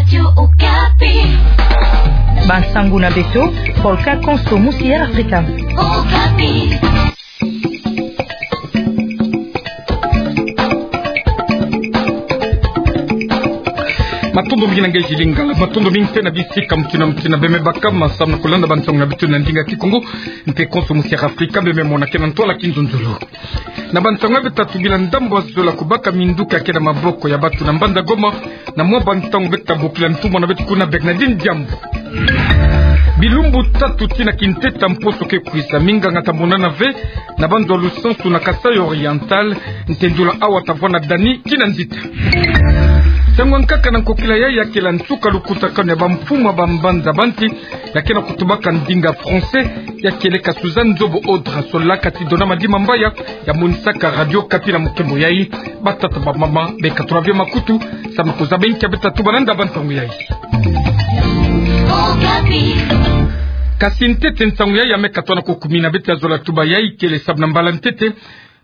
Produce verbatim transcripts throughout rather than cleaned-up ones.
Radio Okapi. Bansangu na beto, Polka Konso Musi ya Afrika. Okapi. Matondo mingi na nge Gilles Lingala, matondo mingi mpe na bisika mutindu na mutindu beme baka, samu na kulanda bansangu na beto na ndinga Kikongo, mpe Konso Musi ya Afrika, beme mona ke na ntwala kinzonzolo. Na bansangu ya beto tatu, bila ndambu ya zola kubaka minduki ya ke na maboko ya bantu na mbanza Goma, na mwa bansangu beto tabokila ntumwa na beto kuna, Bernardine Diambu. Bilumbu tatu tii na kintete ya mposo ke kwiza, minganga tamonana ve na banzo ya lusansu na Kasaï Oriental, ntendula awa tavwanda Dani Kinanzita. Nsangu ya nkaka na nkokila yayi ya kele nsuka lukutakanu ya bamfumu ya bambanza banti ya ke na kutubaka ndinga français, ya kele ka Suzanne Nzobo Audra, solaka ti Dona Madimambaya, ya monisaka Radio Okapi na mukembo yayi. Batata, bamama, beka tula ve makutu, samu na kuzaba inki ya beto tatuba landa bansangu yayi. Okapi. Kasi ntete nsangu yayi ya meka twana kukumina, beto ya zola tuba yayi kele samu na mbala ntete,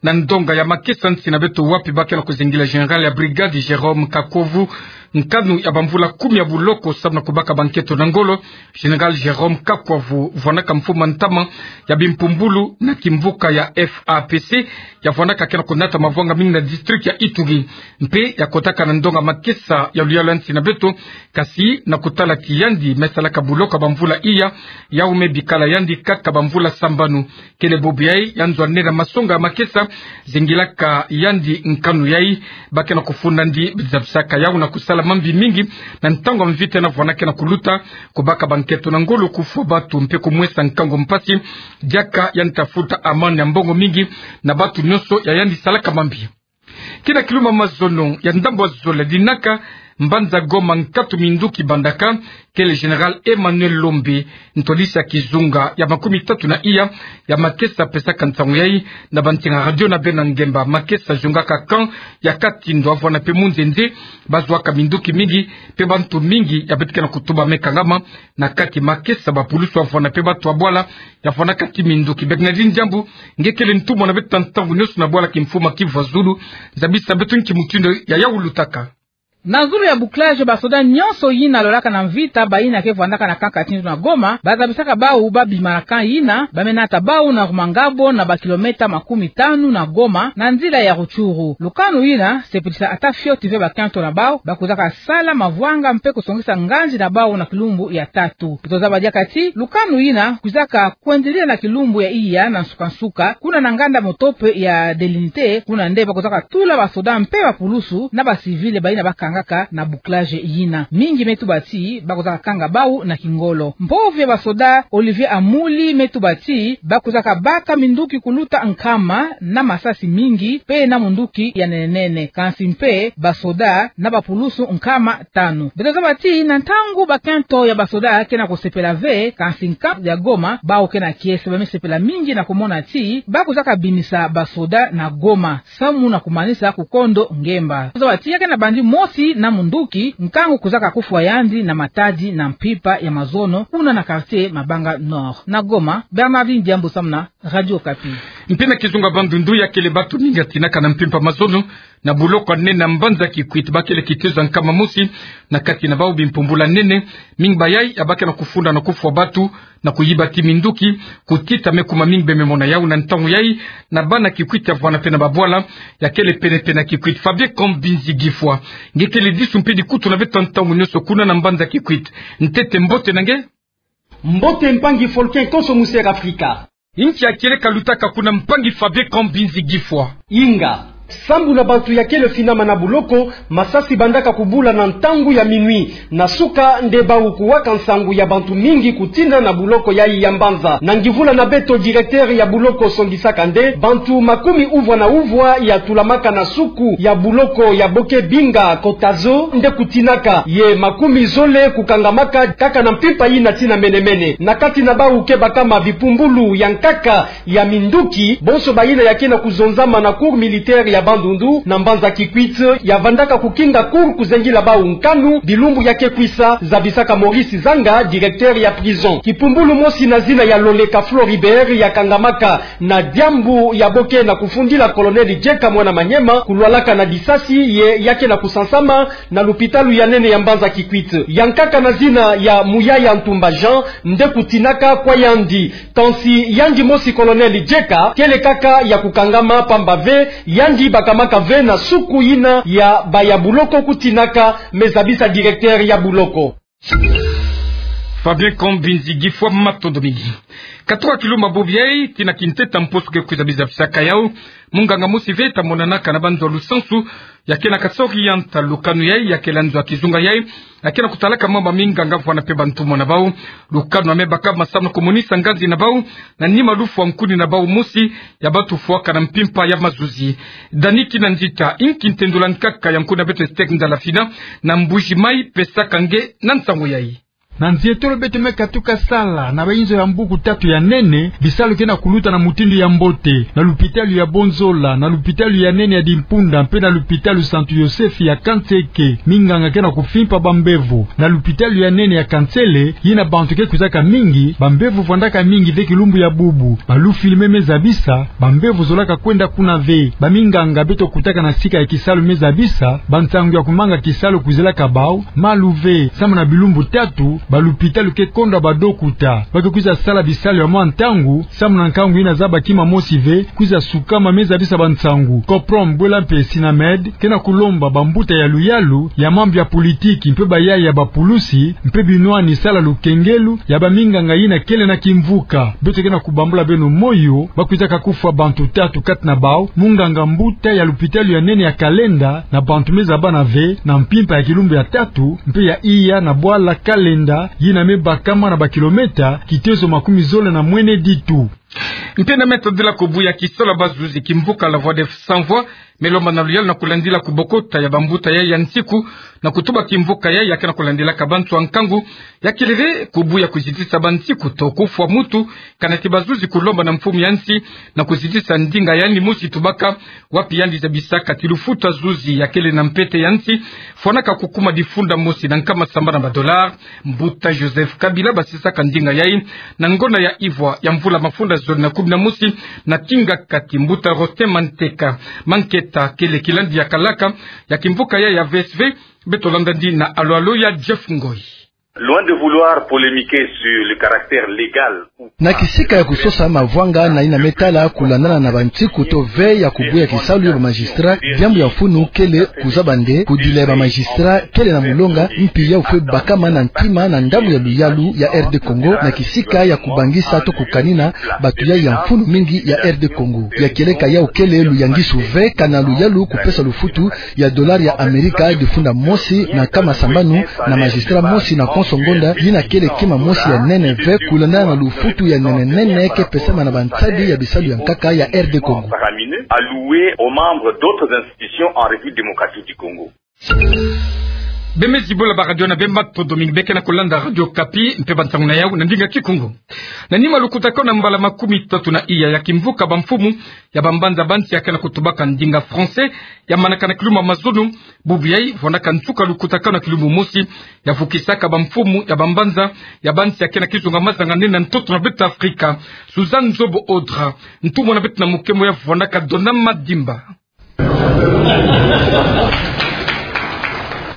na ndonga ya makesa nsi na beto, wapi ba ke na kuzingila général ya brigade Jérôme Kakwavu nkanu ya bamvula kumi ya buloko samu na kubaka bankento na ngolo. Général Jérôme Kakwavu vwanaka mfumu ya ntama ya bimpumbulu na kimvuka ya FAPC, ya vwanaka ke na kunata mavwanga mingi na district ya Ituri. Mpe ya kotaka na ndonga makesa ya luyalu ya nsi na beto, kasi na kutala ti yandi me salaka buloko ya bamvula iya, yau me bikala yandi kaka bamvula sambanu. Kele bobo yayi ya nzo ya nene na masonga ya makesa zingilaka yandi nkanu yayi. Ba ke na kufunda yandi zabisaka yau na kusala mambi mingi na ntangu ya mvita na vwana ke na kuluta, kubaka bankento na ngolo, kufwa bantu mpe kumwesa nkangu mpasi. Diaka yandi tafuta amende ya mbongo mingi na bantu nyonso ya yandi salaka mambi. Kina kilumbu ya mazono ya ndambu ya zola dinaka mbanza Goma, nkatu minduki bandaka, kele général Emmanuel Lombe, ntwadisi ya kizunga ya makumi tatu na iya ya makesa, pesaka nsangu yayi na bantinga radio na beno ngemba. Makesa zungaka camp ya Katindo, avwana mpe munzenze, bazwaka minduki mingi, mpe bantu mingi ya beto ke na kutuba me kangama na kati makesa. Bapulusu avwana mpe bantu ya bwala ya vwanaka ti minduki. Bernardine Diambu, nge kele ntumwa na beto ntangu nyonso na bwala kimfumu ya Kivu ya Zulu, zabisa beto nki mutindu ya yau lutaka. Na zulu ya bouclage, basoda nyonso yina lolaka na mvita, bayina ke vwandaka na camp Katindo na Goma, bazabisaka bau babima na camp yina, ba me nata bau na Rumangabo, na bakilometa makumi tanu na Goma, na nzila ya Rutshuru. Lukanu yina sepelisa ata fioti ve bakento na bau, ba kwizaka sala mavwanga mpe kusongisa nganzi na bau na kilumbu ya tatu. Beto zaba diaka ti lukanu yina kwizaka kwendilila na kilumbu ya iya na nsuka-nsuka, kuna na nganda motope ya Delinite, kuna nde ba kwizaka tula basoda mpe bapulusu na bacivil bayina bakangaka na bouclage yina. Mingi me tuba ti ba kwizaka kanga bau na kingolo. Mpovo ya basoda Olivier Amuli me tuba ti ba kwizaka baka minduki kuluta nkama na masasi mingi, mpe na munduki ya nene-nene. Kansi mpe basoda na bapulusu nkama tanu. Beto zaba ti na ntangu bakento ya basoda ke na kusepela ve, kansi nka ya Goma, bau ke na kiese ba me sepela mingi na kumona ti ba kwizaka binisa basoda na Goma, samu na kumanisa kukondo ngemba. Zaba ti ya ke na bandi mosi na munduki, nkangu kwizaka kufwa yandi na matadi na mpimpa ya mazono, kuna na quartier Mabanga Nord. Na Goma, Bernardine Diambu samu na Radio Okapi. Mpe na kizunga Bandundu, ya kele bantu mingi ya tinaka na mpimpa mazono na buloko ya nene na mbanza Kikwit, ba kele kitezo ya nkama mosi, na kati na bau bimpumbulu ya nene. Mingi bayayi ya ba ke na kufunda na kufwa bantu, na kuyiba ti minduki, kutita me kuma mingi beme mona yau na ntangu yayi, na bana Kikwit ya vwana mpe na babwala ya kele pene-pene ya Kikwit. Fabien Kambinzi Gifwa, nge kele disu mpe dikutu na beto ntangu nyonso kuna na mbanza Kikwit. Ntete, mbote na nge. Mbote mpangi Folken Konso Musi ya Afrika. Inki ya kele ka lutaka kuna, mpangi Fabien Kambinzi Gifwa? Inga. Sambu na bantu ya kele finama na buloko, masasi bandaka kubula na ntangu ya minuit. Na suka nde bau kuwaka nsangu ya bantu mingi kutina na buloko yayi ya mbanza. Na ngivula na beto, directeur ya buloko songisaka nde bantu makumi uvwa na uvwa ya tulamaka na suku ya buloko ya Boke Binga Kotazo nde kutinaka, ye makumi zole kukangamaka kaka na mpimpa yina tii na mene-mene. Na kati na bau ke bakama bipumbulu ya nkaka ya minduki, bonso bayina ya ke na kuzonzama na cour militaire ya Bandundu na mbanza Kikwit, ya vandaka kukinga cour kuzengila bau nkanu bilumbu ya ke kwisa, zabisaka Maurice Zanga, directeur ya prison. Kipumbulu mosi na zina ya Loleka Floribert ya kangamaka na diambu ya bo ke na kufundila Colonel Jeka mwana Maniema, kulwalaka na disasi ye ya ke na kusansama na lupitalu ya nene ya mbanza Kikwit. Yankaka na zina ya Muyaya Ntumba Jean nde kutinaka kwa yandi. Kansi yandi mosi Colonel Jeka kele kaka ya kukangama, pamba ve yandi bakamaka ve na suku yina ya baya buloko kutinaka, me zabisa directeur ya buloko. Fabien Kombinzi, Gifwa Mato Domini. Katoka kilumbu bubu yai tii na kinteta mposo ke kwiza biza bisaka yau, munganga mosi ve ta monanaka na banzo ya lusansu, ya ke na kasori yanta lukanu yai, ya kele nzo ya kizunga yai, ya ke na kutalaka mama minganga vwana mpe bantumwa na bau. Lukanu ya me baka masamu na kumonisa nganzi na bau, na nima lufwa nkuni na bau mosi, ya batufuaka na mpimpa ya mazuzi. Dani Kinanzita, inki ntendu la nkaka ya nkuni ya beto Esther Ndalafina, na Mbuji Mayi, pesaka nge na nsangu yai. Na nzietolo beto me katuka sala na bainzo ya mbuku tatu ya nene, bisalu ke na kuluta na mutindu ya mbote, na lupitalu ya Bonzola, na lupitalu ya nene ya Dimpunda, mpe na lupitalu Santu Yosefu ya Kanseke. Minganga ke na kufimpa bambevo. Na lupitalu ya nene ya Kansele, yina bantu ke kwizaka mingi, bambevo vwandaka mingi ve kilumbu ya bubu. Balufilme me zabisa, bambevo zolaka kwenda kuna ve. Baminganga beto kutaka na sika ya kisalu me zabisa, bansangu ya kumanga kisalu kwizelaka bau malu ve. Samu na bilumbu tatu, balupitalu ke kondwa badokuta. Ba ke kwiza sala bisalu ya mwa ntangu, samu na nkangu yina zaba kima mosi ve, kwiza sukama me zabisa bansangu. Coprom, Bwela mpe Sinamed ke na kulomba bambuta ya luyalu, ya mambu ya politiki, mpe bayaya ya bapulusi, mpe binwani sala lukengelu ya baminganga yina kele na kimvuka. Beto ke na kubambula beno moyo, ba kwizaka kufwa bantu tatu kati na bau, munganga mbuta ya lupitalu ya nene ya Kalenda, na bantu me zabana ve na mpimpa ya kilumbu ya tatu, mpe ya iya na bwala Kalenda, yina me bakama na bakilometa kitezo makumi zole na mwene ditu. Mpe na me tadila kubuya kisalu ya bazuzi, kimvuka La Voix des Sans Voix me lomba na luyalu na kulandila kubokota ya bambuta yai ya nsiku, na kutuba kimvuka yai ya ke na kulandilaka bantu ya nkangu, ya kele ve kubuya kuzitisa bansiku to kufwa muntu, kana ti bazuzi kulomba na mfumu ya nsi na kuzitisa ndinga yandi mosi tubaka, wapi yandi zabisaka ti lufutu ya zuzi ya kele na mpete ya nsi fwanaka kukuma difunda mosi na nkama sambanu ya badolari. Mbuta Joseph Kabila basisaka ndinga yai na ngonda ya ivwa ya mvula mafunda zole na kumi na mosi na kingakati. Mbuta Rosten Manteka Manketa kele kilandi ya kalaka ya kimvuka yai ya V S V. Beto landa ndi na alo-alo ya Jeff Ngoi. Loin de vouloir polémiquer sur le caractère légal ou... Na kisika ya kusosa mavwanga na yina me tala kulandana na bansiku to ve ya kubuya kisalu ya bamagistrat, diambu ya mfunu kele kuzaba nde kudila ya bamagistrat kele na mulonga, mpi yau fwe bakama na ntima na ndambu ya luyalu ya R D Congo, na kisika ya kubangisa to kukanina bantu yai ya mfunu mingi ya R D Congo. Ya kieleka yau kele luyangisu ve kana luyalu kupesa lufutu ya dolari ya Amerika difunda mosi na nkama sambanu na magistrat mosi na konso ngonda, yina kele kima mosi ya nene ve kulandana na lufutu ya nene nene ke pesama na bansadi ya bisalu ya nkaka ya R D Congo. Faramineux alloué aux membres d'autres institutions en République démocratique du Congo. Bemezi bole ba radio na bemba to Dominique, be ke na kulanda Radio Okapi, mpe bansangu na yau na ndinga Kikongo. Na nima lukutakanu ya mbala makumi tatu na iya ya kimvuka bamfumu ya bambanza bansi ya ke na kutubaka ndinga français, ya manaka na kilumbu ya mazono, bubu yai, vwandaka nsuka lukutakanu ya kilumbu mosi, ya vukisaka bamfumu ya bambanza ya bansi ya ke na kizunga mazanga nene ya ntoto na beto Afrika. Suzanne Nzobo Audra, ntumwa na beto na mukemo ya vwandaka Dona Madimba.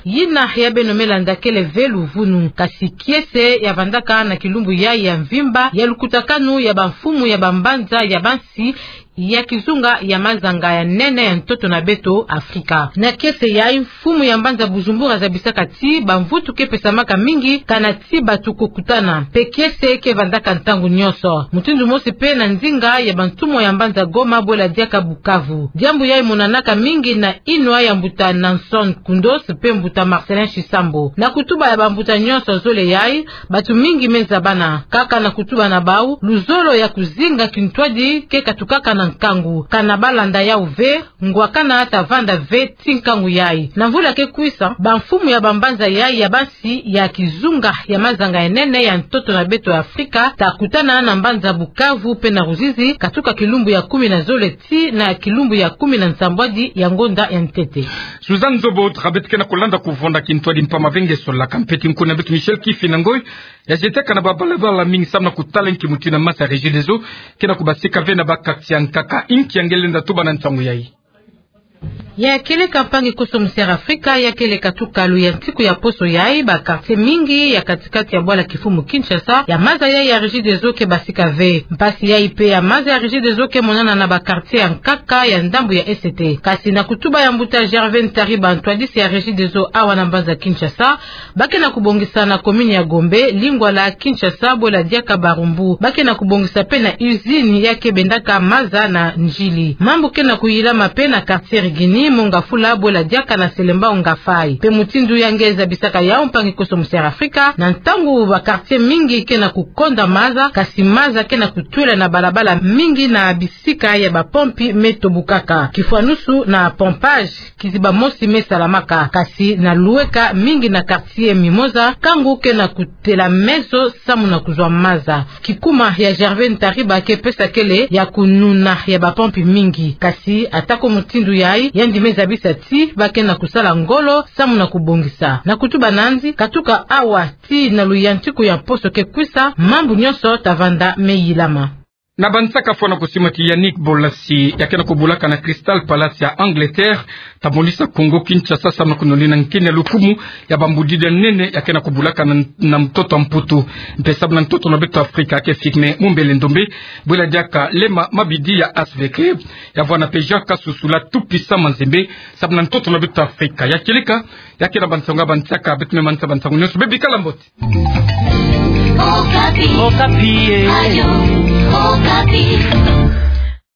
Yina ya beno me landa kele ve luvunu, kasi kiese ya vandaka na kilumbu yai ya mvimba ya lukutakanu ya bamfumu ya bambanza ya bansi ya kizunga ya mazanga ya nene ya ntoto na beto Afrika. Na kiese yai, mfumu ya mbanza Bujumbura zabisaka ti bamvutu ke pesamaka mingi kana ti bantu kukutana, mpe kiese ke vandaka ntangu nyonso. Mutindu mosi mpe na ndinga ya bantumwa ya mbanza Goma bwela diaka Bukavu. Diambu yai monanaka mingi na yinwa ya mbuta Nanson Koundos mpe mbuta Marcellin Tshisambo. Na kutuba ya bambuta nyonso zole yai, bantu mingi me zabana kaka na kutuba na bau luzolo ya kuzinga kintwadi ke katukaka na nkangu. Kana balanda yau ve, ngwakana tavanda ve ti nkangu yai. Na mvula ke kwisa, bamfumu ya bambanza yai ya bansi ya kizunga ya mazanga ya nene ya ntoto na beto ya Afrika takutana na mbanza Bukavu pe na Ruzizi, katuka kilumbu ya kumi na zole ti na kilumbu ya kumi na nsambwadi ya ngonda ya ntete. Suzanne Zobo, trabet ke na kulanda kuvonda kintwadi mpama ve nge sola kampeti nkuna beto Michel Kifinangoi, ya jetaka na babalabala mingi samu na kutala nki muti na maza ya Regideso ke na kubasika ve na ba quartier ya nkaka. Nki ya nge lenda tuba na nsangu yai? Ya kieleka mpangi koso musi ya Afrika, ya kieleka tuka luyantiku ya poso yai, ba quartier mingi ya katikati ya bwala kifumu Kinshasa, ya maza yai ya Regideso ke basika ve. Mpasi yai pe ya maza ya Regideso ke monana na ba quartier ya nkaka ya ndambu ya E C T. Kasi na kutuba ya mbuta Gervais Ntariba, ntwadisi ya Regideso awa na mbanza Kinshasa, ba ke na kubongisa na commune ya Gombe, Lingwala, Kinshasa, bwela diaka Barumbu. Ba ke na kubongisa pe na usine ya ke bendaka maza na Ndjili. Mambu ke na kuyilama pe na quartier Rigini, Mont Ngafula, bwela diaka na Selembao Ngafai. Pe mutindu ya nge zabisaka yau mpangi koso musi ya Afrika, na ntangu ba quartier mingi ke na kukonda maza, kasi maza ke na kutwela na balabala mingi na bisika ya bapompi me tobukaka. Kifwanusu na pompage, kiziba mosi me salamaka, kasi na lueka mingi na quartier mimoza, nkangu ke na kutela meso samu na kuzwa maza. Kikuma ya Gervais Ntariba ke pesa kele ya kununa ya bapompi mingi. Kasi atako mutindu yai, yandi me zabisa ti ba ke na kusala ngolo samu na kubongisa. Na kutuba nandi, katuka awa ti na luyantiku ya poso ke kwisa, mambu nyonso tavanda me yilama. Na bansaka fwana kusima ti Yannick Bolasie, ya ke na kubulaka na Crystal Palace ya Angleterre, ta monisa Kongo Kinshasa samu na kunonina nkeni ya lukumu ya bambudidi ya nene ya ke na kubulaka na, na ntoto Mputu. Mpe samu na ntoto na beto Afrika ke Firmin Mumbele Ndombe, bwela diaka Lema Mabidi ya H V K, ya vwana pe Jacques Kasusula Tupisa Manzembe, samu na ntoto na beto Afrika. Ya kieleka, ya ke na bansangu ya bansaka, beto me manisa bansangu nyonso. Bebikala mbote. Okapi. Okapi, eh. Radio Okapi.